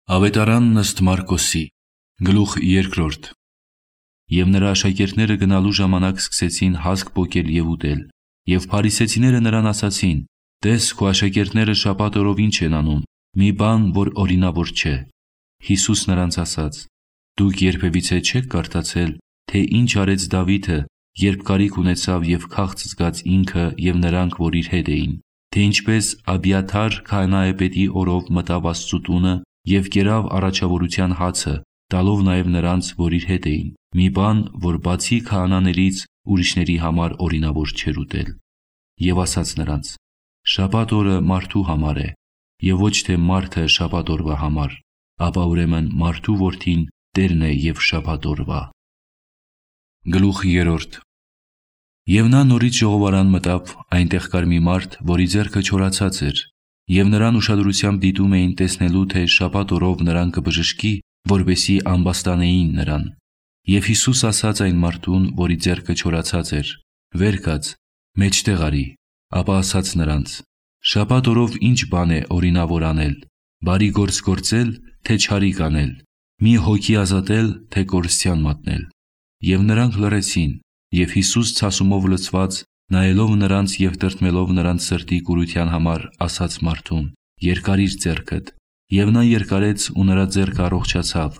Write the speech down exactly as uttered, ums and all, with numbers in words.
Ավետարանն ըստ Մարկոսի, գլուխ երկրորդ։ Եվ նրա աշակերտները գնալու ժամանակ սկսեցին հասկ պոկել և ուտել, և փարիսեցիները նրան ասացին. «Տես, քո աշակերտները շաբաթ օրով ինչ են անում, մի բան, որ օրինավոր չէ»։ Հիսուս նրանց ասաց. «Դուք երբևիցե չե՞ք կարդացել, թե ինչ արեց Դավիթը, երբ կարիք ունեցավ և քաղց զգաց ինքը և նրանք, որ իր հետ էին, թե ինչպես Աբիաթար քահանայապետի օրով մտավ Աստծու տունը և կերավ առաջավորության հացը, տալով նաև նրանց, որ իր հետ էին, մի բան, որ բացի քահանաներից ուրիշների համար օրինավոր չէր ուտել, և ասաց նրանց. շաբաթ օրը մարդու համար է, և ոչ թե մարդը շաբաթ օրվա համար, ապա ուրեմն մարդու որդին Տերն է և շաբաթ օրվա»։ Գլուխ երրորդ։ Եվ նա նորից ժողովարան մտավ, այնտեղ կար մի մարդ, որի ձեռքը չորացած էր, և նրան ուշադրությամբ դիտում էին, տեսնելու, թե շաբաթ օրով նրան կբժշկի, որպեսզի ամբաստանեին նրան։ Եվ Հիսուս ասաց այն մարդուն, որի ձեռքը չորացած էր. «Վեր կաց, մեջտեղ արի»։ Ապա ասաց նրանց. «Շաբաթ օրով ի՞նչ բան է օրինավոր անել, բարի գործ գործել, թե չարիք անել, մի հոգի ազատել, թե կորստյան մատնել»։ Եվ նրանք լռեցին։ Եվ Հիսուս ցասումով լցված, նայելով նրանց և տրտմելով նրանց սրտի կուրության համար, ասաց մարդուն. «Երկարի՛ր ձեռքդ»։ Եվ նա երկարեց, ու նրա ձեռքը առողջացավ,